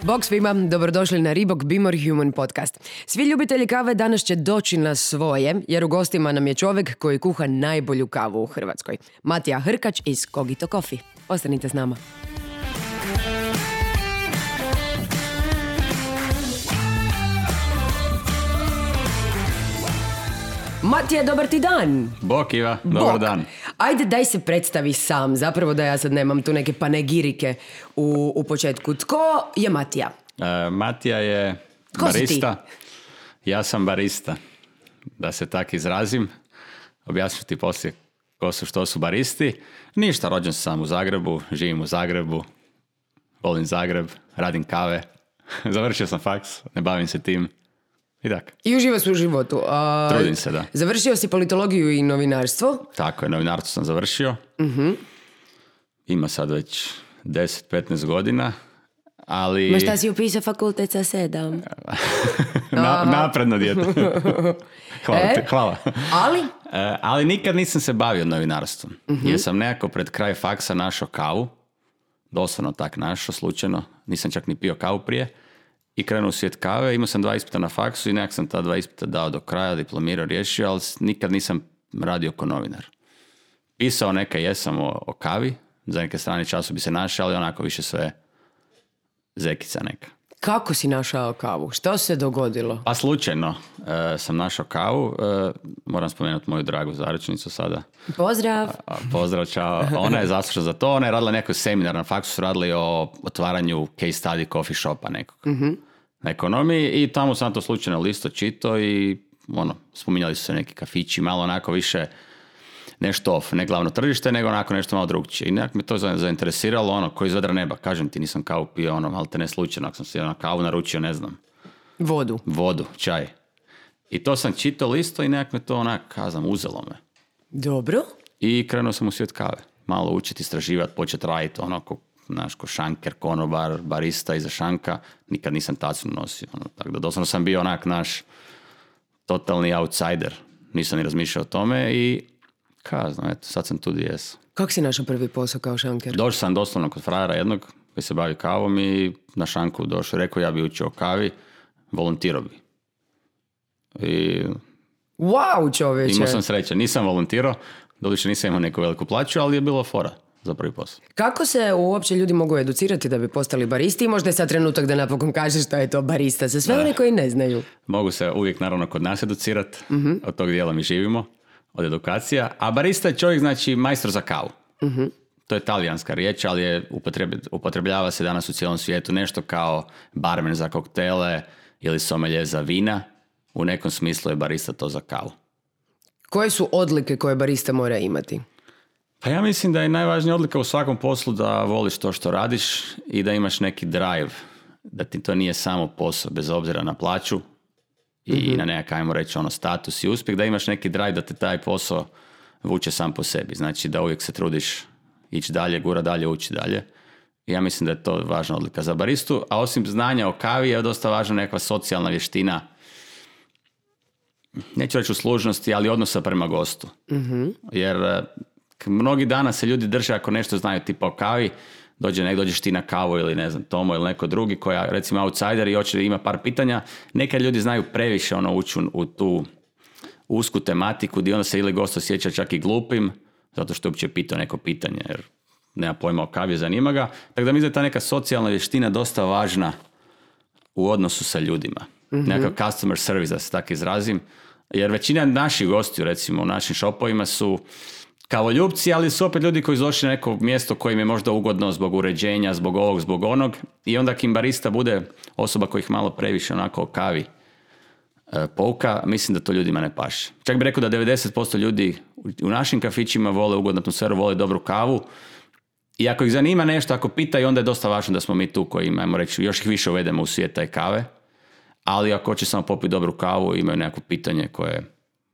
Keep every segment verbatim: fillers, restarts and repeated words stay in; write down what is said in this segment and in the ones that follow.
Bog svima, dobrodošli na Reebok Be More Human podcast. Svi ljubitelji kave danas će doći na svoje, jer u gostima nam je čovjek koji kuha najbolju kavu u Hrvatskoj. Matija Hrkač iz Cogito Coffee. Ostanite s nama. Matija, dobar ti dan. Bok Iva, dobar Bok. dan. Ajde, daj se predstavi sam, zapravo da ja sad nemam tu neke panegirike u, u početku. Tko je Matija? E, Matija je Tko si barista. Ja sam barista, da se tak izrazim. Objasnit ću ti poslije ko su, što su baristi. Ništa, rođen sam u Zagrebu, živim u Zagrebu, volim Zagreb, radim kave. Završio sam faks, ne bavim se tim. I tak. I uživa se u životu. A, Trudim se, da. Završio si politologiju i novinarstvo. Tako je, novinarstvo sam završio. Uh-huh. Ima sad već deset do petnaest godina, ali... Ma šta si upisao fakultet sa sedam? Na, napredno dijete. Hvala E? ti, hvala. Ali? E, ali nikad nisam se bavio novinarstvom. Uh-huh. Jer sam nekako pred kraj faksa našao kavu. Doslovno tak našao, slučajno. Nisam čak ni pio kavu prije. I krenuo u svijet kave. Imao sam dva ispita na faksu i nekak sam ta dva ispita dao do kraja, diplomirao, riješio, ali nikad nisam radio kao novinar. Pisao neka jesam o, o kavi. Za neke strane času bi se našao, ali onako više sve zekica neka. Kako si našao kavu? Što se dogodilo? Pa slučajno e, sam našao kavu. E, moram spomenuti moju dragu zaručnicu sada. Pozdrav. A, pozdrav, čao. Ona je zaslužna za to. Ona je radila neki seminar na faksu, su radili o otvaranju case study coffee shopa nekog. Uh-huh. Na ekonomiji i tamo sam to slučajno listo čitao i ono, spominjali su se neki kafići, malo onako više nešto off, ne glavno tržište, nego onako nešto malo drugčije. I nekako me to zainteresiralo, ono, ko iz vedra neba. Kažem ti, nisam kavu pio, ono, ali te ne slučajno, ako sam si na kavu naručio, ne znam. Vodu. Vodu, čaj. I to sam čitao listo i nekako me to onak, kazam, uzelo me. Dobro. I krenuo sam u svijet kave. Malo učiti, istraživati, početi raditi, ono, ko, znaš, ko šanker, konobar, barista iza šanka. Nikad nisam tacnu nosio. Ono, tako da doslovno sam bio onak naš totalni outsider. Nisam ni razmišljao o tome i kazno, eto, sad sam tu gdje jesam. Kako si našao prvi posao kao šanker? Došao sam doslovno kod frajera jednog koji se bavi kavom i na šanku došao. Rekao, ja bi učio o kavi, volontirao bi. I Wow, čovječe. imao sam sreće. Nisam volontirao, doduše nisam imao neku veliku plaću, ali je bilo fora za prvi posao. Kako se uopće ljudi mogu educirati da bi postali baristi? I možda je sad trenutak da napokon kažeš šta je to barista za sve one koji ne znaju. Mogu se uvijek naravno kod nas educirati, uh-huh. od tog dijela mi živimo, od edukacija. A barista je čovjek, znači, majstor za kavu. Uh-huh. To je talijanska riječ, ali je upotrebljava se danas u cijelom svijetu nešto kao barmen za koktele ili somelje za vina. U nekom smislu je barista to za kavu. Koje su odlike koje barista mora imati? Pa ja mislim da je najvažnija odlika u svakom poslu da voliš to što radiš i da imaš neki drive. Da ti to nije samo posao, bez obzira na plaću i mm-hmm. na nekak, ajmo reći, ono, status i uspjeh, da imaš neki drive da te taj posao vuče sam po sebi. Znači da uvijek se trudiš ići dalje, gura dalje, ući dalje. I ja mislim da je to važna odlika za baristu. A osim znanja o kavi je dosta važna nekakva socijalna vještina, neću reći uslužnosti, ali odnosa prema gostu. Mm-hmm. Jer mnogi dana se ljudi drže ako nešto znaju tipa o kavi, dođe nek dođeš ti na kavu ili ne znam, Tomo ili neko drugi koja recimo outsider i hoće ima par pitanja. Nekad ljudi znaju previše ono ući u tu usku tematiku gdje onda se ili gost osjeća čak i glupim zato što je uopće pitao neko pitanje jer nema pojma o kavi, zanima ga. Tako da mislim da je ta neka socijalna vještina dosta važna u odnosu sa ljudima. Mm-hmm. Nekakav customer service, da se tako izrazim. Jer većina naših gostiju, recimo u našim šopovima su kavoljupci, ali su opet ljudi koji su došli na neko mjesto koje im je možda ugodno zbog uređenja, zbog ovog, zbog onog. I onda kim barista bude osoba koja ih malo previše onako o kavi e, pouka, mislim da to ljudima ne paše. Čak bih rekao da devedeset posto ljudi u našim kafićima vole ugodnu atmosferu, vole dobru kavu. I ako ih zanima nešto, ako pitaju, onda je dosta važno da smo mi tu koji, ajmo reći, još ih više uvedemo u svijet taj kave. Ali ako hoće samo popiti dobru kavu, imaju neko pitanje koje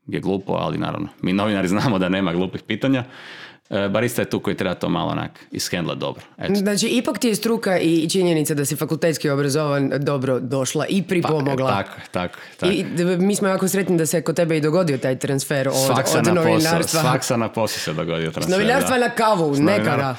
je glupo, ali naravno, mi novinari znamo da nema glupih pitanja. E, barista je tu koji treba to malo onak ishendla dobro. Eto. Znači, ipak ti je struka i činjenica da si fakultetski obrazovan dobro došla i pripomogla. Pa, tako, tako, tako. I mi smo jako sretni da se kod tebe i dogodio taj transfer od, od na novinarstva. Svaksa na posao se dogodio transfer. Novinarstva da. na kavu, nekada.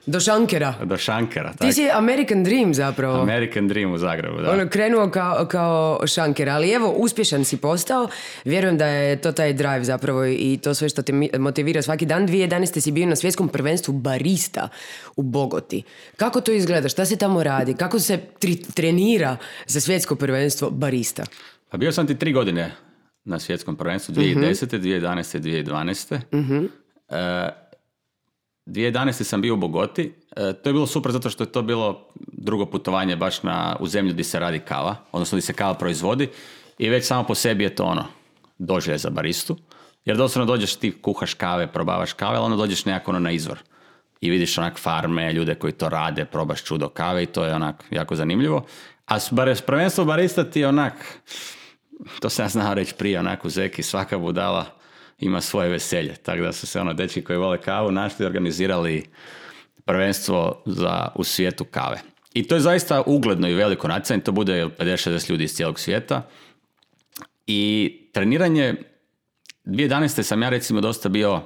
Do šankera. Do šankera. Ti si American Dream zapravo. American Dream u Zagrebu, da. Ono, krenuo kao, kao šanker, ali evo, uspješan si postao. Vjerujem da je to taj drive zapravo i to sve što te motivira svaki dan. dvije tisuće jedanaeste si bio na svjetskom prvenstvu barista u Bogoti. Kako to izgleda? Šta se tamo radi? Kako se tri- trenira za svjetsko prvenstvo barista? Pa bio sam ti tri godine na svjetskom prvenstvu, dvije tisuće desete, dvije tisuće jedanaeste, dvije tisuće dvanaeste. Uh-huh. Uh, dvije tisuće jedanaeste sam bio u Bogoti. E, to je bilo super zato što je to bilo drugo putovanje baš na, u zemlju gdje se radi kava, odnosno gdje se kava proizvodi i već samo po sebi je to ono, doživljaj za baristu. Jer doslovno dođeš, ti kuhaš kave, probavaš kave, ali onda dođeš nekako ono na izvor. I vidiš onak farme, ljude koji to rade, probaš čudo kave i to je onak jako zanimljivo. A prvenstvo barista ti je onak, to sam ja znao reći prije, onak u Zeki, svaka budala ima svoje veselje. Tako da su se ono dečki koji vole kavu našli i organizirali prvenstvo za, u svijetu kave. I to je zaista ugledno i veliko natjecanje, to bude pedeset šezdeset ljudi iz cijelog svijeta. I treniranje, dvije tisuće jedanaeste sam ja recimo dosta bio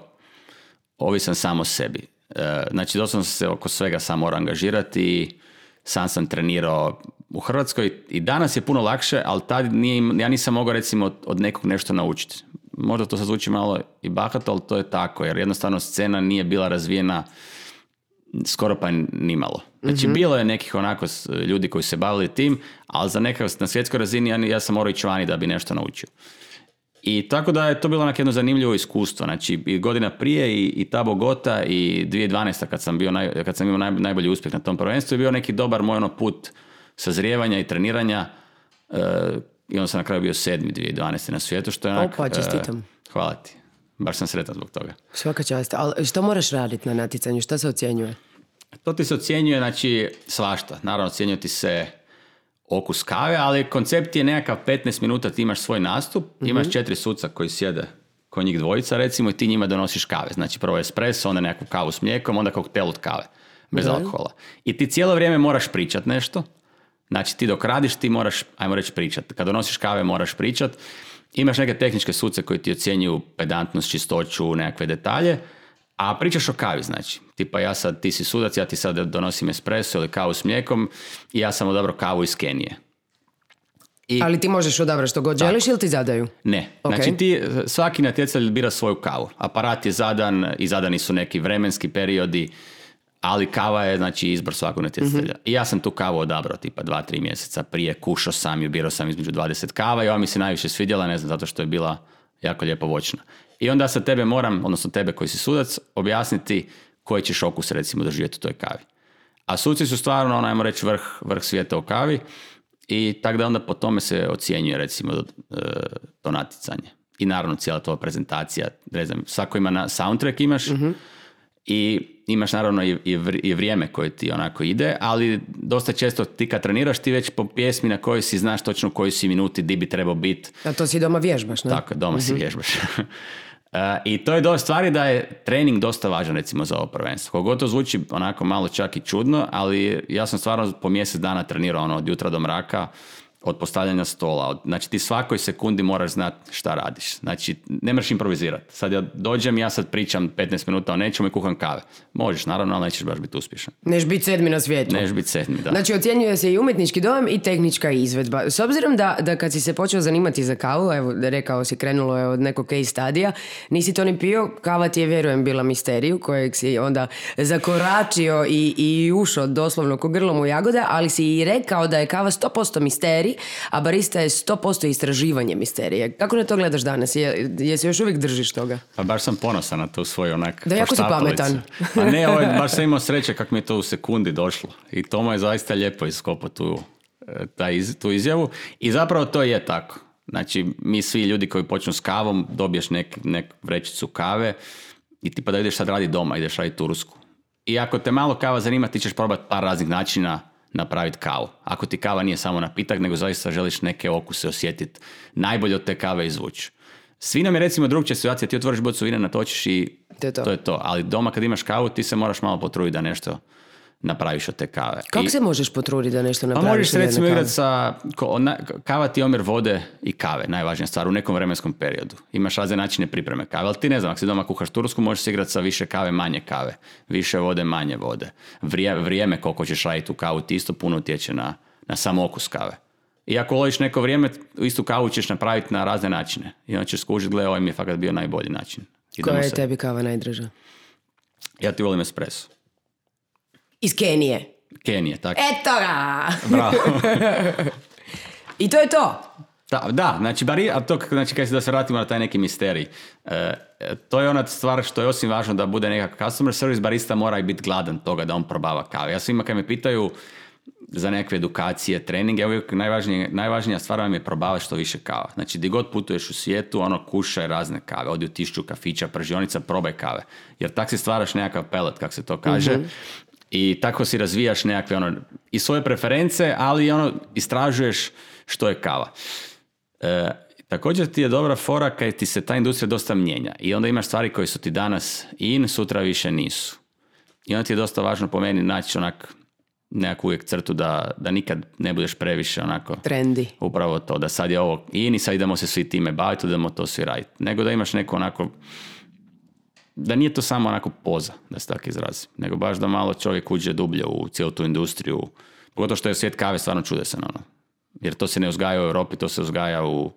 ovisan sam o sebi. E, znači doslovno sam se oko svega sam morao angažirati i sam sam trenirao u Hrvatskoj i danas je puno lakše, ali tad nije, ja nisam mogao recimo od, od nekog nešto naučiti. Možda to sad zvuči malo i bahato, ali to je tako, jer jednostavno scena nije bila razvijena skoro pa nimalo. Znači, mm-hmm. bilo je nekih onako ljudi koji se bavili tim, ali za nekako na svjetskoj razini ja, ja sam morao ići vani da bi nešto naučio. I tako da je to bilo jedno zanimljivo iskustvo. Znači, i godina prije i, i ta Bogota i dvije tisuće dvanaeste kad sam, bio naj, kad sam imao naj, najbolji uspjeh na tom prvenstvu je bio neki dobar moj ono put sazrijevanja i treniranja uh, i onda sam na kraju bio sedmi dvije tisuće dvanaeste na svijetu, što je onak... Opa, čestitam. Uh, hvala ti. Baš sam sretan zbog toga. Svaka čast. Ali što moraš raditi na natjecanju? Što se ocjenjuje? To ti se ocjenjuje, znači, svašta. Naravno, ocjenjuje ti se okus kave, ali koncept je nekakav petnaest minuta, ti imaš svoj nastup, mm-hmm. imaš četiri suca koji sjede kod njih dvojica, recimo, i ti njima donosiš kave. Znači, prvo espresso, onda nekakvu kavu s mlijekom, onda koktel od kave, bez mm-hmm. alkohola. I ti cijelo vrijeme moraš pričat nešto. Znači, ti dok radiš, ti moraš, ajmo reći, pričat. Kad donosiš kave, moraš pričat. Imaš neke tehničke suce koji ti ocjenjuju pedantnost, čistoću, nekakve detalje, a pričaš o kavi, znači. Tipa ja sad, ti si sudac, ja ti sad donosim espresso ili kavu s mlijekom i ja sam odabrao kavu iz Kenije. I, ali ti možeš odabrati što god tako. Želiš ili ti zadaju? Ne. Okay. Znači ti, svaki natjecatelj bira svoju kavu. Aparat je zadan i zadani su neki vremenski periodi, ali kava je, znači, izbor svakog natjecatelja. Mm-hmm. I ja sam tu kavu odabrao tipa dva, tri mjeseca prije, kušao sam i birao sam između dvadeset kava i ova mi se najviše svidjela, ne znam, zato što je bila jako lijepo voćna. I onda sa tebe moram, odnosno tebe koji si sudac, objasniti koji ćeš okus recimo doživjeti u toj kavi. A suci su stvarno, ajmo reći, vrh, vrh svijeta u kavi i tako da onda po tome se ocjenjuje recimo to natjecanje. I naravno cijela tvoja prezentacija, ne znam, svako ima na soundtrack imaš, mm-hmm. i imaš naravno i, i vrijeme koje ti onako ide, ali dosta često ti kad treniraš ti već po pjesmi na kojoj si znaš točno u kojoj si minuti di bi trebao biti. A to si doma vježbaš, ne? Tako, doma mm-hmm. si vježbaš. uh, I to je do stvari da je trening dosta važan recimo za ovo prvenstvo. Koliko to zvuči onako malo čak i čudno, ali ja sam stvarno po mjesec dana trenirao ono, od jutra do mraka, od postavljanja stola. Od, znači ti svakoj sekundi moraš znati šta radiš. Znači ne moraš improvizirati. Sad ja dođem i ja sad pričam petnaest minuta o nečemu i kuham kave. Možeš naravno, ali nećeš baš biti uspješan. Neš biti sedmi na svijetu. Neš biti sedmi, da. Znači ocjenjuje se i umjetnički dojam i tehnička izvedba. S obzirom da, da kad si se počeo zanimati za kavu, evo rekao si krenulo je od nekog case stadija, nisi to ni pio, kava ti je vjerujem bila misteriju kojeg si onda zakoračio i, i ušao doslovno ko grlom u jagode, ali si i rekao da je kava sto posto misterij, a barista je sto posto istraživanje misterije. Kako na to gledaš danas? Je, jesi još uvijek držiš toga? Pa baš sam ponosan na to svoju onak da, jako si pametan. A ne, ovaj, baš sam imao sreće kako mi je to u sekundi došlo. I to mu je zaista lijepo iskopao tu, tu izjavu. I zapravo to je tako. Znači, mi svi ljudi koji počnu s kavom, dobiješ nek, nek vrećicu kave i ti pa da ideš sad radi doma, ideš raditi tursku. I ako te malo kava zanima, ti ćeš probati par raznih načina napraviti kavu. Ako ti kava nije samo napitak, nego zaista želiš neke okuse osjetiti, najbolje od te kave izvući. S vinom je recimo drugčija situacija, ti otvoriš bocu vina, natočiš i to je to. to je to. Ali doma kad imaš kavu, ti se moraš malo potruditi da nešto napraviš od te kave. Kako I, se možeš potruditi da nešto pa napraviš? možeš se od jedne recimo kave? igrati sa, ko, na, kava ti je omjer vode i kave, najvažnija stvar u nekom vremenskom periodu. Imaš razne načine pripreme kave, ali ti ne znam, ako si doma kuhaš tursku, možeš se igrati sa više kave, manje kave, više vode, manje vode. Vrije, vrijeme koliko ćeš raditi u kavu ti isto puno utječe na, na sam okus kave. I ako loviš neko vrijeme, istu kavu ćeš napraviti na razne načine. I onda ćeš skužiti, gle, ovaj mi je fakat bio najbolji način. Koja je se... tebi kava najdraža? Ja ti volim espresso. Iz Kenije. Kenije, tako. Eto ga! Bravo. I to je to. Da, da, znači, bari, a to, znači, kad se da se vratimo na taj neki misterij, e, to je ona stvar što je osim važno da bude nekakav customer service, barista mora i biti gladan toga da on probava kave. Ja svima kad me pitaju za nekakve edukacije, treninge, uvijek najvažnija, najvažnija stvar vam je probavati što više kava. Znači, di god putuješ u svijetu, ono, kušaj razne kave, odi u tišću kafića, pržionica, probaj kave. Jer tak si stvaraš nekakav pelet, kako se to kaže, mm-hmm. i tako si razvijaš nekakve, ono, i svoje preference, ali ono, istražuješ što je kava. E, također ti je dobra fora kad ti se ta industrija dosta mijenja i onda imaš stvari koje su ti danas in, sutra više nisu. I onda ti je dosta važno po meni naći onak nekakvu uvijek crtu da, da nikad ne budeš previše onako trendi. Upravo to, da sad je ovo in i sad idemo se svi time baviti, idemo to svi raditi. Nego da imaš neko onako, da nije to samo onako poza, da se tako izrazi, nego baš da malo čovjek uđe dublje u cijelu tu industriju, pogotovo što je svijet kave stvarno čudesan, ono. Jer to se ne uzgaja u Europi, to se uzgaja u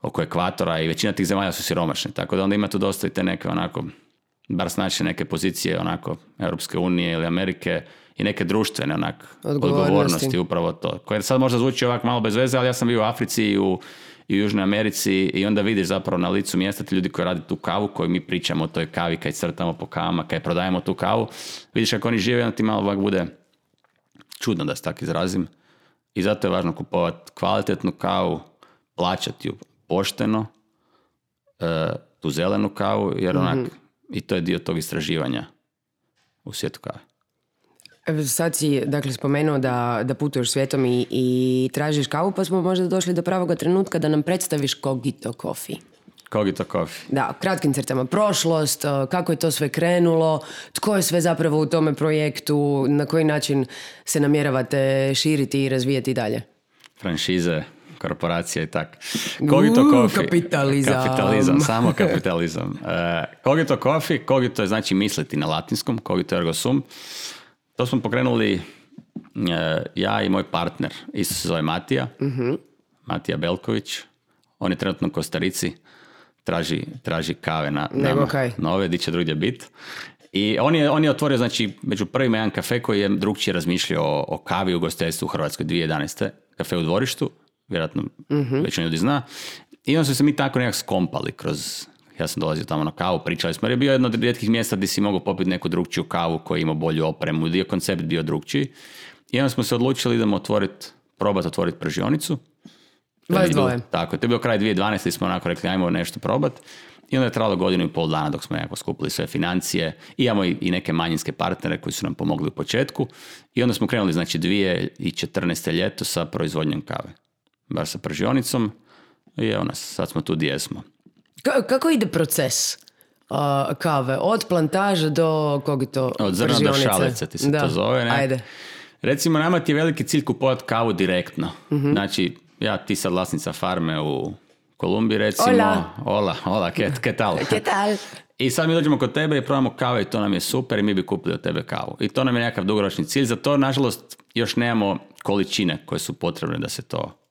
oko ekvatora i većina tih zemalja su siromašne, tako da onda ima tu dosta i te neke onako, bar znači neke pozicije onako Europske unije ili Amerike i neke društvene onak odgovornosti. odgovornosti, upravo to. Koje sad možda zvuči ovako malo bez veze, ali ja sam bio u Africi i u, i u Južnoj Americi i onda vidiš zapravo na licu mjesta ti ljudi koji rade tu kavu, koji mi pričamo o toj kavi, kad crtamo po kavama, kad prodajemo tu kavu, vidiš kako oni žive, onda ti malo ovak bude čudno da se tako izrazim. I zato je važno kupovati kvalitetnu kavu, plaćati ju pošteno, e, tu zelenu kavu, jer onak, mm-hmm. i to je dio tog istraživanja u svijetu kave. Sad si, dakle, spomenuo da, da putuješ svijetom i, i tražiš kavu, pa smo možda došli do pravoga trenutka da nam predstaviš Cogito Coffee. Cogito Coffee. Da, kratkim crtama prošlost, kako je to sve krenulo, tko je sve zapravo u tome projektu, na koji način se namjeravate širiti i razvijati dalje. Franšize, korporacija i tak. Cogito Uuu, Coffee. kapitalizam. Kapitalizam, samo kapitalizam. Uh, Cogito Coffee, cogito je znači misliti na latinskom, cogito ergo sum. To smo pokrenuli uh, ja i moj partner, isto se zove Matija, uh-huh. Matija Belković. On je trenutno u Kostarici, traži, traži kave na, na nove, di će drugdje biti. I on je, on je otvorio, znači, među prvima jedan kafe koji je drugčije razmišljao o, o kavi u ugostiteljstvu u Hrvatskoj dvije tisuće jedanaeste. Kafe u Dvorištu, vjerojatno uh-huh. većina ljudi zna. I onda su se mi tako nekako skompali kroz... Ja sam dolazio tamo na kavu, pričali smo, jer je bio jedno od rijetkih mjesta gdje si mogao popiti neku drugčiju kavu koja ima bolju opremu, dio koncept bio drugčiji. I onda smo se odlučili idemo otvoriti, probati otvoriti pržionicu. Vas dvoje. Tako, to je bio kraj dvije tisuće dvanaeste i smo onako rekli, ajmo nešto probati. I onda je trajalo godinu i pol dana dok smo nekako skupili sve financije. I imamo i, i neke manjinske partnere koji su nam pomogli u početku. I onda smo krenuli, znači, dvije tisuće četrnaeste ljeto sa proizvodnjom kave. Baš sa pržionicom. I evo nas, sad smo tu gdje smo. K- kako ide proces uh, kave? Od plantaže do Cogito Od zrna pržionice? do šalice ti se da. to zove. Ne? Ajde. Recimo, nama ti je veliki cilj kupovati kavu direktno. Mm-hmm. Znači, ja ti sad vlasnica farme u Kolumbiji, recimo. Hola. Hola, hola, ke, ke tal? Ke tal? I sad mi dođemo kod tebe i probamo kave i to nam je super i mi bi kupili od tebe kavu. I to nam je nekakav dugoročni cilj. Za to, nažalost, još nemamo količine koje su potrebne da se to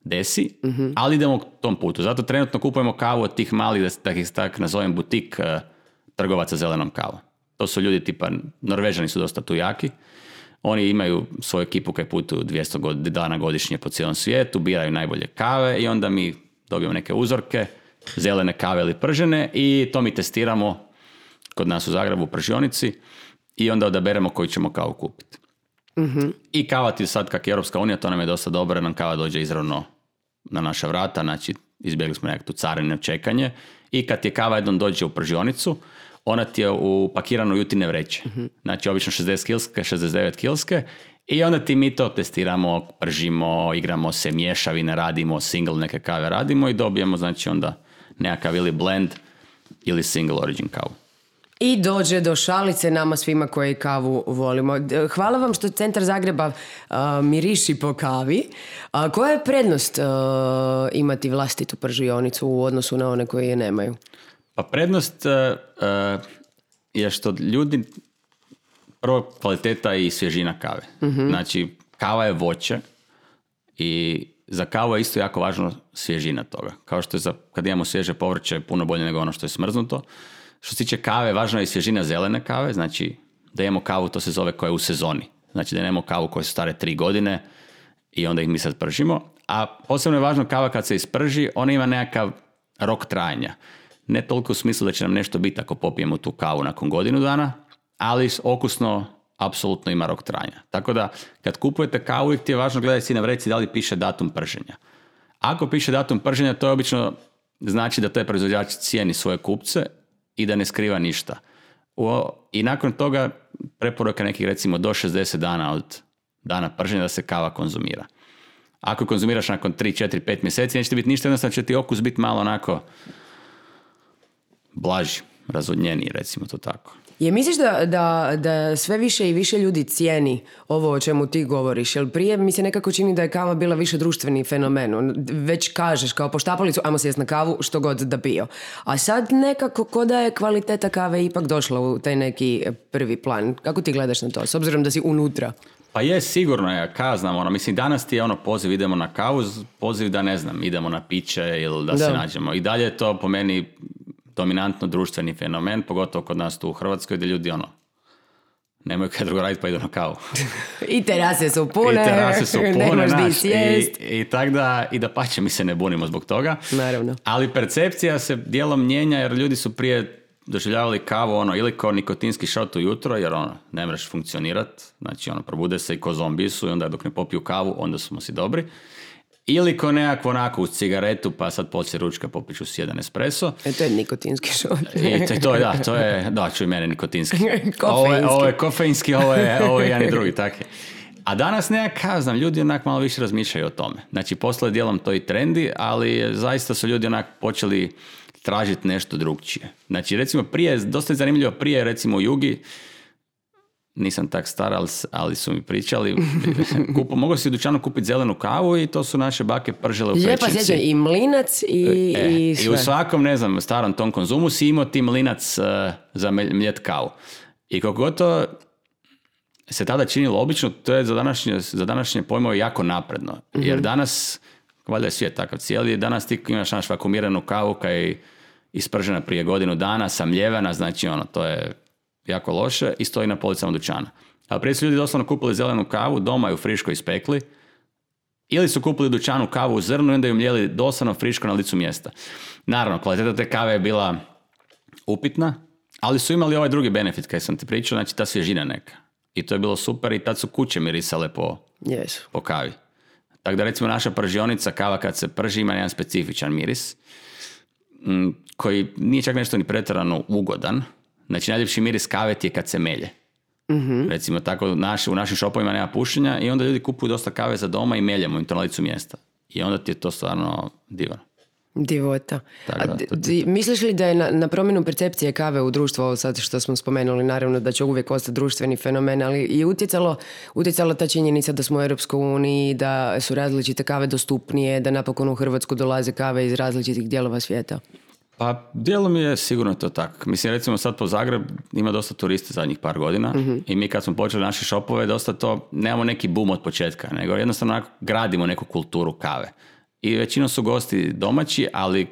desi, mm-hmm. ali idemo tom putu. Zato trenutno kupujemo kavu od tih malih, da ih tak nazovem, butik uh, trgovaca zelenom kavom. To su ljudi tipa, Norvežani su dosta tu jaki. Oni imaju svoju ekipu koji putuju dvjesto dana godišnje po cijelom svijetu, biraju najbolje kave i onda mi dobijemo neke uzorke, zelene kave ili pržene i to mi testiramo kod nas u Zagrebu u pržionici i onda odaberemo koju ćemo kavu kupiti. Mm-hmm. I kava ti sad, kak je Europska unija, to nam je dosta dobro, nam kava dođe izravno na naša vrata, znači izbjegli smo nekakvu carinu čekanje i kad ti je kava jednom dođe u pržionicu, ona ti je upakirana u jutine vreće. Mm-hmm. Znači obično šezdeset kilske, šezdeset devet kilske i onda ti mi to testiramo, pržimo, igramo se, mješavine radimo, single neke kave radimo i dobijemo znači onda nekakav ili blend ili single origin kavu. I dođe do šalice nama svima koji kavu volimo. Hvala vam što Centar Zagreba uh, miriši po kavi. A koja je prednost uh, imati vlastitu pržionicu u odnosu na one koje je nemaju? Pa prednost uh, je što ljudi, prvo kvaliteta i svježina kave. Mm-hmm. Znači, kava je voće i za kavu je isto jako važno svježina toga. Kao što je za, kad imamo svježe povrće puno bolje nego ono što je smrznuto. Što se tiče kave, važna je i svježina zelene kave, znači da imamo kavu, to se zove koja je u sezoni. Znači da nemamo kavu koje su stare tri godine i onda ih mi sad pržimo. A posebno je važno kava kad se isprži, ona ima nekakav rok trajanja. Ne toliko u smislu da će nam nešto biti ako popijemo tu kavu nakon godinu dana, ali okusno apsolutno ima rok trajanja. Tako da kad kupujete kavu, uvijek ti je važno gledati si na vrećici da li piše datum prženja. Ako piše datum prženja, to je obično znači da taj proizvođač cijeni svoje kupce i da ne skriva ništa. O, I nakon toga preporuka nekih recimo do šezdeset dana od dana prženja da se kava konzumira. Ako konzumiraš nakon tri, četiri, pet mjeseci, neće biti ništa, jednostavno će ti okus biti malo onako blaži, razvodnjeniji, recimo to tako. Je misliš da, da, da sve više i više ljudi cijeni ovo o čemu ti govoriš? Jer prije mi se nekako čini da je kava bila više društveni fenomen. Već kažeš kao po štapalicu, ajmo sjest na kavu, što god da pio. A sad nekako ko da je kvaliteta kave ipak došla u taj neki prvi plan. Kako ti gledaš na to, s obzirom da si unutra? Pa je, sigurno je, ka znam, ono, mislim, danas ti je ono poziv idemo na kavu, poziv da ne znam, idemo na piće ili da, da. se nađemo. I dalje je to po meni dominantno društveni fenomen, pogotovo kod nas tu u Hrvatskoj, gdje ljudi ono, nemaju kaj drugo raditi pa idu na kavu. I terase su pune, I terase su pune, naš, i, i tak da, i da pače mi se ne bunimo zbog toga. Naravno. Ali percepcija se dijelom mijenja jer ljudi su prije doživljavali kavu ono, ili kao nikotinski šot ujutro, jer ono, ne mreš funkcionirati, znači ono, probude se i ko zombi su i onda dok ne popiju kavu, onda smo si dobri. Ili ko nekako onako uz cigaretu, pa sad poslije ručka popiću si jedan espresso. E, to je nikotinski šot. I to, to, da, to je, da, čuj mene, nikotinski. Ovo je, ovo je kofeinski, ovo je, ovo je jedan i drugi, tako je. A danas nekako, znam, ljudi onak malo više razmišljaju o tome. Znači, posle dijelom to i trendi, ali zaista su ljudi onak počeli tražiti nešto drugčije. Znači, recimo prije, dosta je zanimljivo, prije recimo u Jugi, nisam tak star, ali, ali su mi pričali, Kupo, mogu si u dućanu kupiti zelenu kavu i to su naše bake pržele u pećnici. Lijepa sjeća, i mlinac i, e, i sve. I u svakom, ne znam, starom tom konzumu si imao ti mlinac uh, za mljet kavu. I kako god to se tada činilo obično, to je za današnje, za današnje pojmove jako napredno. Mm-hmm. Jer danas, valjda je svijet takav cijeli, danas ti imaš naš vakumiranu kavu koja je ispržena prije godinu dana, samljevena, znači ono, to je jako loše i stoji na policama dućana. A prije su ljudi doslovno kupili zelenu kavu, doma ju friško ispekli, ili su kupili u dućanu kavu u zrnu i onda ju mljeli doslovno friško na licu mjesta. Naravno, kvaliteta te kave je bila upitna, ali su imali ovaj drugi benefit kaj sam ti pričao, znači ta svježina neka. I to je bilo super i tad su kuće mirisale po, yes. po kavi. Tako da recimo naša pržionica, kava kad se prži ima jedan specifičan miris, koji nije čak nešto ni pretjerano ugodan. Znači, najljepši miris kave ti je kad se melje. Mm-hmm. Recimo, tako naš, u našim šopovima nema pušenja i onda ljudi kupuju dosta kave za doma i meljemo im to na licu mjesta. I onda ti je to stvarno divno. Divota. Tako da, A, d- misliš li da je na, na promjenu percepcije kave u društvu, ovo sad što smo spomenuli, naravno da će uvijek ostati društveni fenomen, ali i utjecalo, utjecala ta činjenica da smo u Europskoj uniji, da su različite kave dostupnije, da napokon u Hrvatsku dolaze kave iz različitih dijelova svijeta? Pa dijelom je sigurno to tako. Mislim, recimo sad po Zagreb ima dosta turista zadnjih par godina mm-hmm. i mi kad smo počeli naše šopove, dosta to, nemamo neki boom od početka, nego jednostavno gradimo neku kulturu kave. I većinom su gosti domaći, ali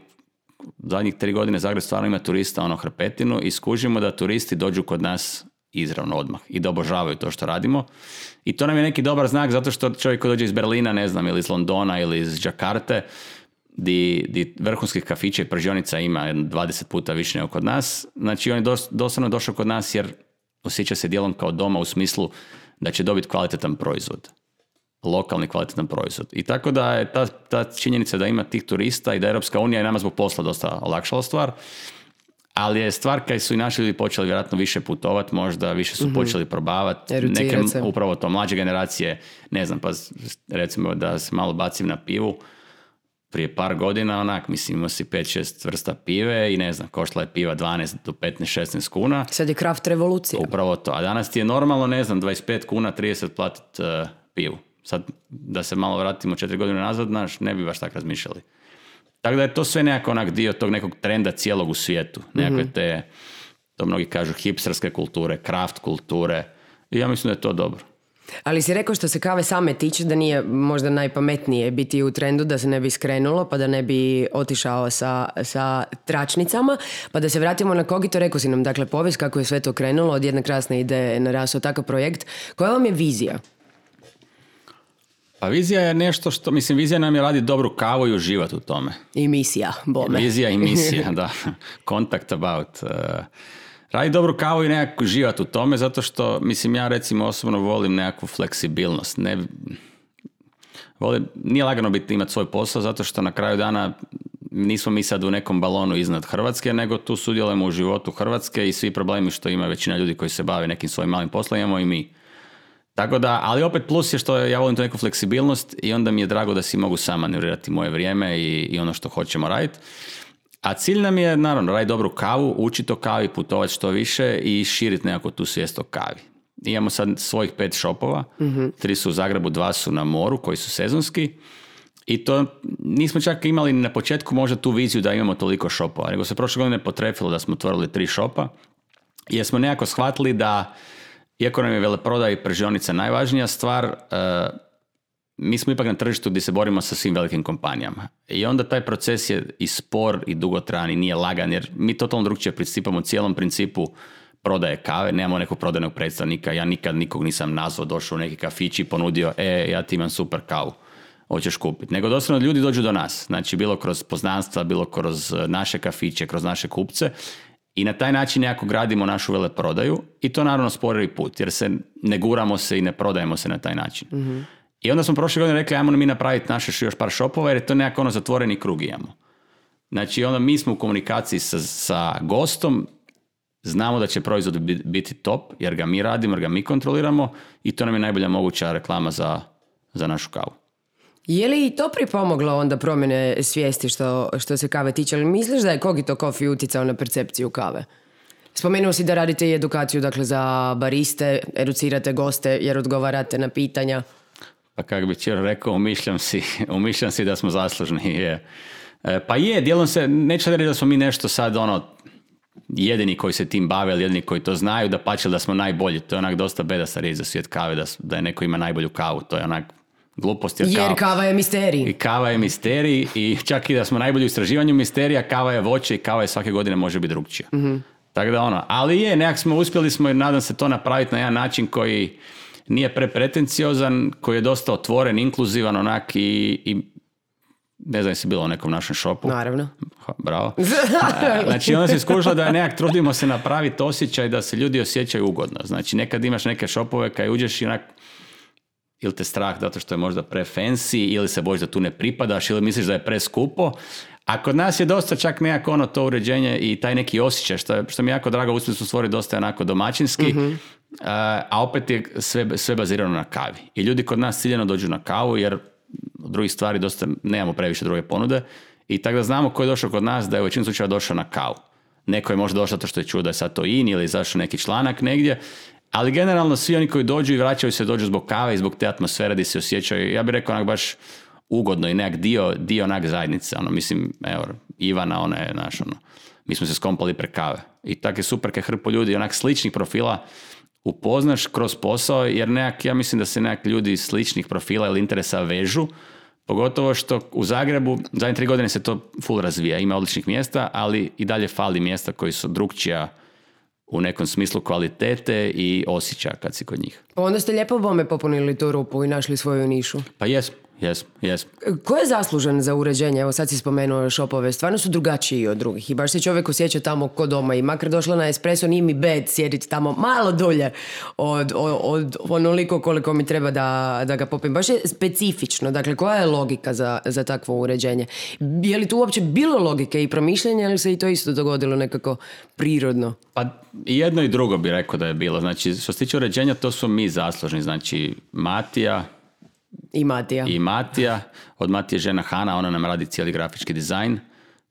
zadnjih tri godine Zagreb stvarno ima turista ono hrpetinu i skužimo da turisti dođu kod nas izravno odmah i da obožavaju to što radimo. I to nam je neki dobar znak zato što čovjek koji dođe iz Berlina, ne znam, ili iz Londona ili iz Džakarte, di, di vrhunskih kafića i pržionica ima dvadeset puta više nego kod nas. Znači on je dos, doslovno došao kod nas jer osjeća se dijelom kao doma u smislu da će dobiti kvalitetan proizvod. Lokalni kvalitetan proizvod. I tako da je ta, ta činjenica da ima tih turista i da Europska unija i nama zbog posla dosta olakšala stvar, ali je stvar kad su i naši ljudi počeli vjerojatno više putovati, možda više su mm-hmm. počeli probavati, neke upravo to mlađe generacije, ne znam, pa recimo da se malo bacim na pivu, prije par godina, onak, mislim, imao si pet šest vrsta pive i ne znam, koštala je piva dvanaest do petnaest šesnaest kuna. Sad je kraft revolucija. Upravo to. A danas ti je normalno, ne znam, dvadeset pet kuna, trideset platit uh, pivu. Sad, da se malo vratimo četiri godine nazad, naš, ne bi baš tako razmišljali. Tako da je to sve nekako onak dio tog nekog trenda cijelog u svijetu. Nekakve mm-hmm. te, to mnogi kažu, hipsterske kulture, kraft kulture. I ja mislim da je to dobro. Ali si rekao što se kave same tiče da nije možda najpametnije biti u trendu, da se ne bi skrenulo, pa da ne bi otišao sa, sa tračnicama, pa da se vratimo na Kogito. Rekao si nam, dakle, povijest kako je sve to krenulo, od jedne krasne ideje narasao takav projekt. Koja vam je vizija? Pa vizija je nešto što, mislim, vizija nam je raditi dobru kavu i uživati u tome. I misija, bome. Vizija i misija, da. Contact about. Uh, raditi dobru kavu i nekako uživati u tome, zato što, mislim, ja recimo osobno volim nekakvu fleksibilnost. Ne, volim, nije lagano biti imati svoj posao, zato što na kraju dana nismo mi sad u nekom balonu iznad Hrvatske, nego tu sudjelujemo u životu Hrvatske i svi problemi što ima većina ljudi koji se bave nekim svojim malim poslom, imamo i mi. Tako da, ali opet plus je što ja volim tu neku fleksibilnost i onda mi je drago da si mogu sam manevrirati moje vrijeme i, i ono što hoćemo raditi. A cilj nam je, naravno, raditi dobru kavu, učiti o kavi, putovati što više i širiti nekako tu svijest o kavi. Imamo sad svojih pet shopova, mm-hmm. tri su u Zagrebu, dva su na moru koji su sezonski i to nismo čak imali na početku možda tu viziju da imamo toliko shopova, nego se prošle godine potrefilo da smo otvorili tri shopa jer smo nekako shvatili da iako nam je veleprodaja i pržionica najvažnija stvar, uh, mi smo ipak na tržištu gdje se borimo sa svim velikim kompanijama. I onda taj proces je i spor i dugotrajan i nije lagan, jer mi totalno drugčije pristupamo cijelom principu prodaje kave. Nemamo nekog prodajnog predstavnika, ja nikad nikog nisam nazvao, došao u neki kafić i ponudio, e, ja ti imam super kavu, hoćeš kupiti. Nego doslovno ljudi dođu do nas, znači bilo kroz poznanstva, bilo kroz naše kafiće, kroz naše kupce. I na taj način nekako gradimo našu veleprodaju i to naravno sporiji put, jer se ne guramo se i ne prodajemo se na taj način. Mm-hmm. I onda smo prošle godine rekli, ajmo mi napraviti naše još par shopova, jer je to nekako ono zatvoreni krug imamo. Znači onda mi smo u komunikaciji sa, sa gostom, znamo da će proizvod biti top, jer ga mi radimo, jer ga mi kontroliramo i to nam je najbolja moguća reklama za, za našu kavu. Je li to pripomoglo onda promjene svijesti što, što se kave tiče? Ali misliš da je Kogito Coffee utjecao na percepciju kave? Spomenuo si da radite i edukaciju, dakle, za bariste, educirate goste jer odgovarate na pitanja. Pa kako bi čer rekao, umišljam si, umišljam si da smo zaslužni. Je. E, pa je, dijelom se, neću reći da smo mi nešto sad ono jedini koji se tim bave, ali jedini koji to znaju, da pače da smo najbolji. To je onak dosta bedasta riječ za svijet kave, da, da je neko ima najbolju kavu. To je onak glupost. Jer, jer kava, kava je misterij. I kava je misterij i čak i da smo najbolji u istraživanju misterija, kava je voće i kava je svake godine može biti drugčija. Mm-hmm. Tako da ono, ali je, nekak smo uspjeli smo i nadam se to napraviti na jedan način koji nije prepretenciozan, koji je dosta otvoren, inkluzivan onak i, i ne znam jesi bilo u nekom našem shopu. Naravno. Ha, bravo. Znači onda se skušalo da nekak trudimo se napraviti osjećaj da se ljudi osjećaju ugodno. Znači nekad imaš neke shopove kad uđeš i onak ili te strah zato što je možda pre fancy ili se bojiš da tu ne pripadaš ili misliš da je preskupo. A kod nas je dosta čak nekako ono to uređenje i taj neki osjećaj, što, što mi je jako drago, uspjeli su stvoriti dosta onako domaćinski, mm-hmm. a, a opet je sve, sve bazirano na kavi. I ljudi kod nas ciljano dođu na kavu jer od drugih stvari dosta nemamo previše druge ponude i tako da znamo ko je došao kod nas da je u većinu slučaja došao na kavu. Neko je možda došao to što je čuo da je sad to in ili zašao neki članak negdje, ali generalno svi oni koji dođu i vraćaju se dođu zbog kave i zbog te atmosfere gdje se osjećaju, ja bih rekao onak baš ugodno i nekak dio, dio onak zajednice. Ono, mislim, evo, Ivana, ona je naš, ono, mi smo se skompali pre kave. I tako je super kad hrpu ljudi onak sličnih profila upoznaš kroz posao, jer nekak, ja mislim da se nekak ljudi sličnih profila ili interesa vežu, pogotovo što u Zagrebu zadnje tri godine se to full razvija, ima odličnih mjesta, ali i dalje fali mjesta koji su drugčija u nekom smislu kvalitete i osjećaja kad si kod njih. Pa onda ste lijepo bome popunili tu rupu i našli svoju nišu. Pa jesmo. Yes, yes. Ko je zaslužen za uređenje? Evo sad si spomenuo shopove, stvarno su drugačiji od drugih i baš se čovjek osjeća tamo ko doma i makar došla na espresso nije mi bed sjediti tamo malo dulje od, od, od onoliko koliko mi treba da, da ga popim. Baš je specifično, dakle koja je logika za, za takvo uređenje? Je li tu uopće bilo logike i promišljanja ili se i to isto dogodilo nekako prirodno? Pa jedno i drugo bi rekao da je bilo. Znači što se tiče uređenja to su mi zaslužni, znači Matija, I Matija. I Matija. Od Matije žena Hana, ona nam radi cijeli grafički dizajn.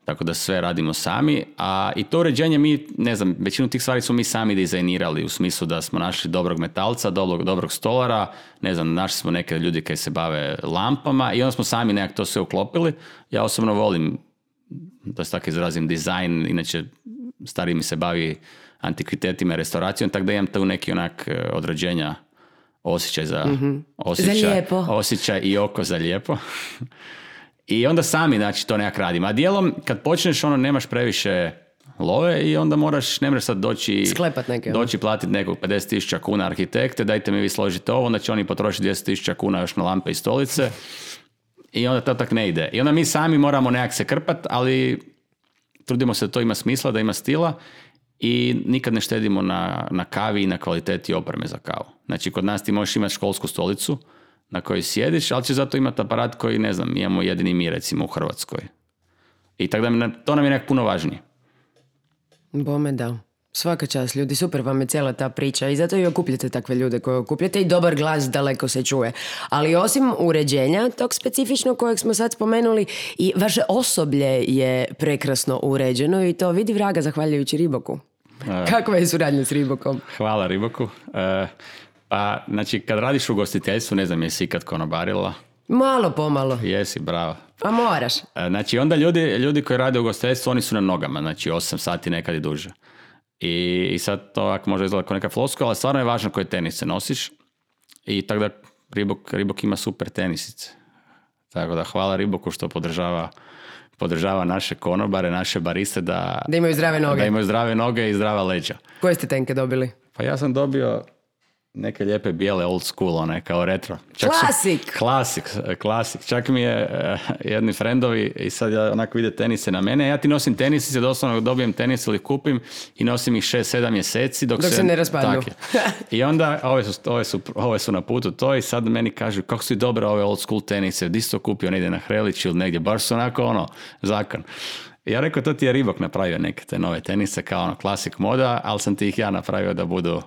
Tako da sve radimo sami. A i to uređenje mi, ne znam, većinu tih stvari smo mi sami dizajnirali u smislu da smo našli dobrog metalca, dobrog, dobrog stolara, ne znam, našli smo neke ljudi koji se bave lampama i onda smo sami nekako to sve uklopili. Ja osobno volim, da se tako izrazim, dizajn, inače stariji mi se bavi antikvitetima i restauracijom, tako da imam tu neki onak određenja, osjećaj za, mm-hmm. osjećaj, za lijepo. Osjećaj i oko za lijepo. I onda sami, znači, to nekak radimo. A dijelom, kad počneš, ono, nemaš previše love i onda moraš, ne možeš sad doći... Sklepat neke. Doći platiti nekog pedeset tisuća kuna arhitekte, dajte mi vi složite ovo, onda će oni potrošiti dvjesto tisuća kuna još na lampe i stolice. I onda to tak ne ide. I onda mi sami moramo nekak se krpat, ali trudimo se da to ima smisla, da ima stila i nikad ne štedimo na, na kavi i na kvaliteti opreme za kavu. Znači, kod nas ti možeš imati školsku stolicu na kojoj sjediš, ali će zato imati aparat koji, ne znam, imamo jedini mi, recimo, u Hrvatskoj. I tako da mi, to nam je nekako puno važnije. Bome da. Svaka čast, ljudi, super vam je cijela ta priča i zato i okupljate takve ljude koje okupljate i dobar glas daleko se čuje. Ali osim uređenja, tog specifičnog kojeg smo sad spomenuli, i vaše osoblje je prekrasno uređeno i to vidi vraga zahvaljujući Reeboku. Uh, Kakva je suradnja s Reebokom? Hvala Reeboku. Uh, pa, znači, kad radiš u gostiteljstvu, ne znam, jesi ikad konobarila? Malo pomalo. Jesi, bravo. Pa moraš. Znači, onda ljudi, ljudi koji rade u gostiteljstvu, oni su na nogama, znači osam sati, nekad i duže. I, i sad to ovako može izgledati kao neka floskula, ali stvarno je važno koje tenise nosiš. I tako da Reebok, Reebok ima super tenisice. Tako da hvala Reeboku što podržava, podržava naše konobare, naše bariste da, da imaju zdrave noge. Da imaju zdrave noge i zdrava leđa. Koje ste tenke dobili? Pa ja sam dobio neke lijepe bijele old school, one kao retro. Klasik! Klasik, klasik. Čak mi je uh, jedni frendovi i sad ja onako vide tenise na mene. Ja ti nosim tenisice, doslovno dobijem tenis ili kupim i nosim ih šest sedam mjeseci dok, dok se, se ne raspadnu. I onda ove su, ove, su, ove su na putu to i sad meni kažu kako su dobre ove old school tenise, di si to kupio, negdje na Hrelić ili negdje, baš su onako ono, zakon. I ja rekao, to ti je Reebok napravio neke te nove tenise kao ono klasik moda, ali sam ti ih ja napravio da budu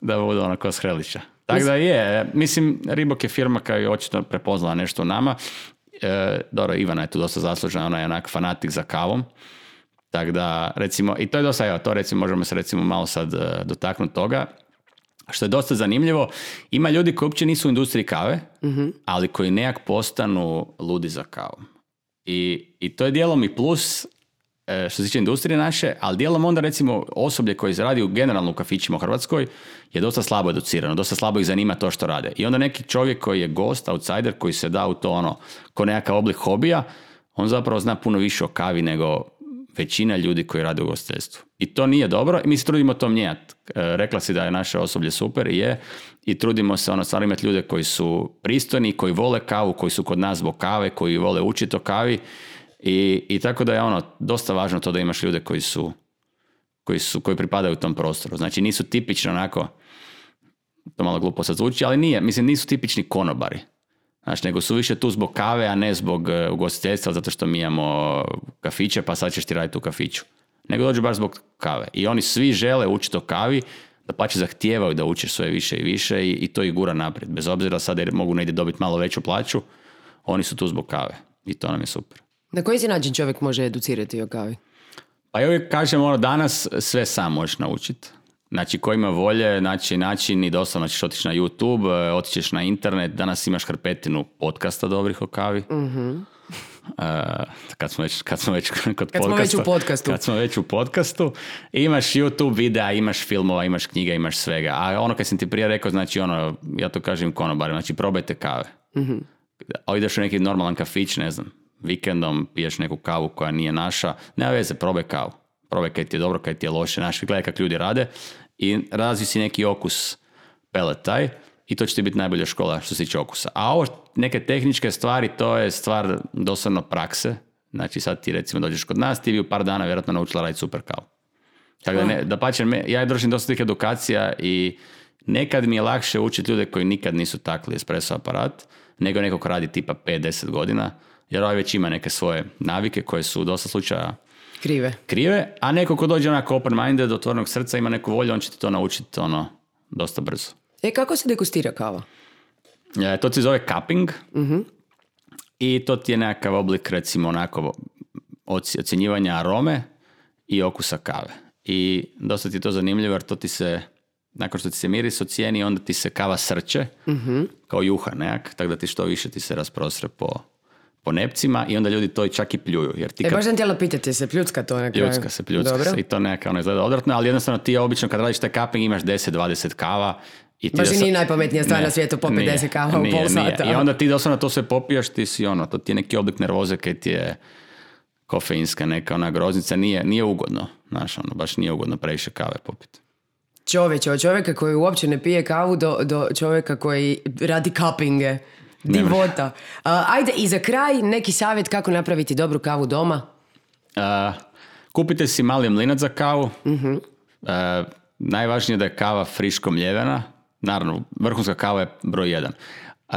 da budu ono ko s Hrelića. Tako da je, mislim, Reebok je firma koja je očito prepoznala nešto u nama. E, dobro, Ivana je tu dosta zaslužena, ona je onak fanatik za kavom. Tako da, recimo, i to je dosta, evo, to recimo, možemo se recimo malo sad uh, dotaknuti toga. Što je dosta zanimljivo, ima ljudi koji uopće nisu u industriji kave, mm-hmm. ali koji nekak postanu ludi za kavom. I, i to je dijelom i plus što se tiče industrije naše, ali dijelom onda recimo osoblje koje radi u generalno u kafićima u Hrvatskoj je dosta slabo educirano, dosta slabo ih zanima to što rade. I onda neki čovjek koji je gost, outsider, koji se da u to ono, ko nekakav oblik hobija, on zapravo zna puno više o kavi nego većina ljudi koji rade u ugostiteljstvu. I to nije dobro i mi se trudimo to mijenjati. Rekla si da je naše osoblje super i je. I trudimo se ono stvarno imati ljude koji su pristojni, koji vole kavu, koji su kod nas zbog kave, koji vole učiti o kavi. I, i tako da je ono dosta važno to da imaš ljude koji su, koji su koji pripadaju tom prostoru. Znači nisu tipično onako, to malo glupo sad zvuči, ali nije, mislim nisu tipični konobari. Znači, nego su više tu zbog kave, a ne zbog uh, ugostiteljstva, zato što mi imamo kafiće, pa sad ćeš ti raditi u kafiću. Nego dođu baš zbog kave. I oni svi žele učiti o kavi, da pa će zahtijevaju da učiš sve više i više i, i to ih gura naprijed. Bez obzira sad jer mogu negdje dobiti malo veću plaću, oni su tu zbog kave. I to nam je super. Na koji se način čovjek može educirati o kavi? Pa ja uvijek kažem, ono, danas sve sam možeš naučiti. Znači, ko ima volje, znači način i doslovno ćeš otići na YouTube, otićeš na internet, danas imaš hrpetinu podcasta dobrih o kavi. Mm-hmm. Uh, kad smo već, kad smo već kod kad podcasta. Smo već u podcastu. Kad smo već u podcastu. Imaš YouTube videa, imaš filmova, imaš knjiga, imaš svega. A ono kad sam ti prije rekao, znači ono, ja to kažem konobarima, znači probajte kave. Mm-hmm. A ideš u neki normalan kafić, ne znam, vikendom piješ neku kavu koja nije naša, nema veze, probaj kavu. Probaj kaj ti je dobro, kaj ti je loše, znaš, gledaj kako ljudi rade i razvi si neki okus peletaj i to će ti biti najbolja škola što se tiče okusa. A ovo neke tehničke stvari, to je stvar doslovno prakse. Znači sad ti recimo dođeš kod nas, ti bi u par dana vjerojatno naučila raditi super kavu. Tako da, ne, da pače, ja držim dosta tih edukacija i nekad mi je lakše učiti ljude koji nikad nisu takli espresso aparat, nego neko ko radi tipa pet do deset godina, jer ovaj već ima neke svoje navike koje su u dosta slučaja Krive. Krive, a neko ko dođe onako open-minded, otvorenog srca, ima neku volju, on će ti to naučiti ono, dosta brzo. E, kako se degustira kava? E, to se zove cupping. Uh-huh. I to ti je nekakav oblik, recimo, onako ocjenjivanja arome i okusa kave. I dosta ti je to zanimljivo jer to ti se, nakon što ti se miris ocijeni, onda ti se kava srče, uh-huh. kao juha nekak, tako da ti što više ti se rasprostre po, po nepcima i onda ljudi to čak i pljuju. Jer ti e, kad... baš sam htjela pitati se, pljucka to na kraju? Pljucka se, pljucka Dobro. se i to nekako ono izgleda odvratno, ali jednostavno ti obično kad radiš taj cupping imaš deset dvadeset kava. I ti baš i dosad... nije najpametnija stvar ne, na svijetu popiti nije, deset kava nije, u pol nije. sata. I onda ti doslovno to sve popijaš, ti si ono, to ti je neki oblik nervoze kaj ti je kofeinska neka ona groznica, nije, nije ugodno, znaš, ono, baš nije ugodno previše kave popiti. Čovječe, od čovjeka koji uopće ne pije kavu do, do čovjeka koji radi cuppinge. Divota. Uh, ajde, i za kraj neki savjet kako napraviti dobru kavu doma? Uh, kupite si mali mlinac za kavu. Uh-huh. Uh, najvažnije je da je kava friško mljevena. Naravno, vrhunska kava je broj jedan. Uh,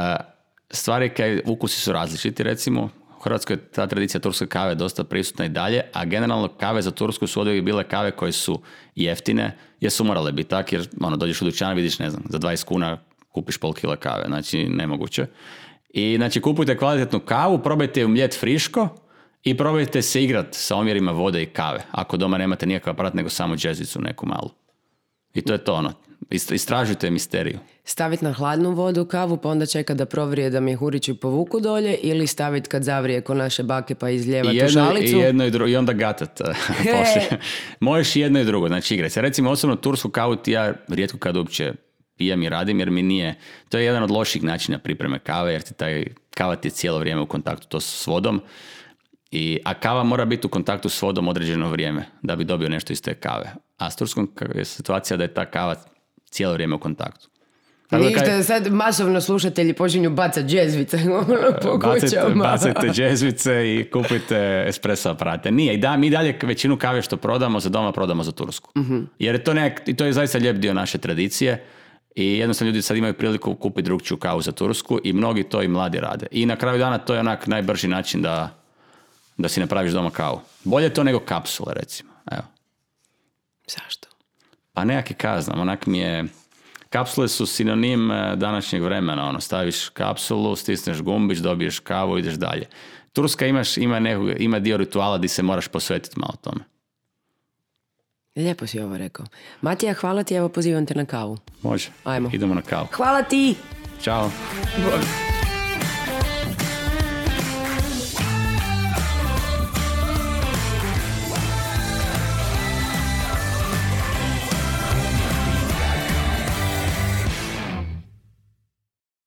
stvari kaj ukusi su različiti, recimo. U Hrvatskoj je ta tradicija turske kave dosta prisutna i dalje, a generalno kave za Tursku su oduvijek bile kave koje su jeftine, jer su morale biti tak, jer ono, dođeš u dućan, vidiš, ne znam, za dvadeset kuna kupiš pol kila kave, znači nemoguće. I znači kupujte kvalitetnu kavu, probajte ju mljet friško i probajte se igrat sa omjerima vode i kave, ako doma nemate nikakav aparat, nego samo džezicu neku malu. I to je to ono, istražujte misteriju. Staviti na hladnu vodu kavu, pa onda čekati da provrije da mjehurići povuku dolje, ili staviti kad zavrije ko naše bake pa izljevati u žalicu? I jedno i drugo, i onda gatat poslije. Možeš jedno i drugo, znači igraj se. Recimo, osobno tursku kavu ti ja rijetko kad uopće pijem i radim, jer mi nije, to je jedan od loših načina pripreme kave, jer ti taj kava ti je cijelo vrijeme u kontaktu to s vodom. I, a kava mora biti u kontaktu s vodom određeno vrijeme da bi dobio nešto iz te kave. A s turskom je situacija da je ta kava cijelo vrijeme u kontaktu. Tako ništa, kaj... sad masovno slušatelji počinju bacati džezvice po kućama. Bacajte džezvice i kupujte espresso aparate. Nije, i da, mi dalje većinu kave što prodamo za doma prodamo za Tursku. Uh-huh. Jer je to, nek, to je zaista lijep dio naše tradicije i jednostavno ljudi sad imaju priliku kupiti drugčiju kavu za Tursku i mnogi to i mladi rade. I na kraju dana to je onak najbrži način da, da si napraviš doma kavu. Bolje to nego kapsule, recimo. Evo. Zašto? Pa nekak kaznam, onak mi je... Kapsule su sinonim današnjeg vremena, ono, staviš kapsulu, stisneš gumbić, dobiješ kavu, ideš dalje. Turska imaš, ima, neku, ima dio rituala di se moraš posvetiti malo tome. Lijepo si ovo rekao. Matija, hvala ti, evo pozivam te na kavu. Može, ajmo. Idemo na kavu. Hvala ti! Ćao! Bog.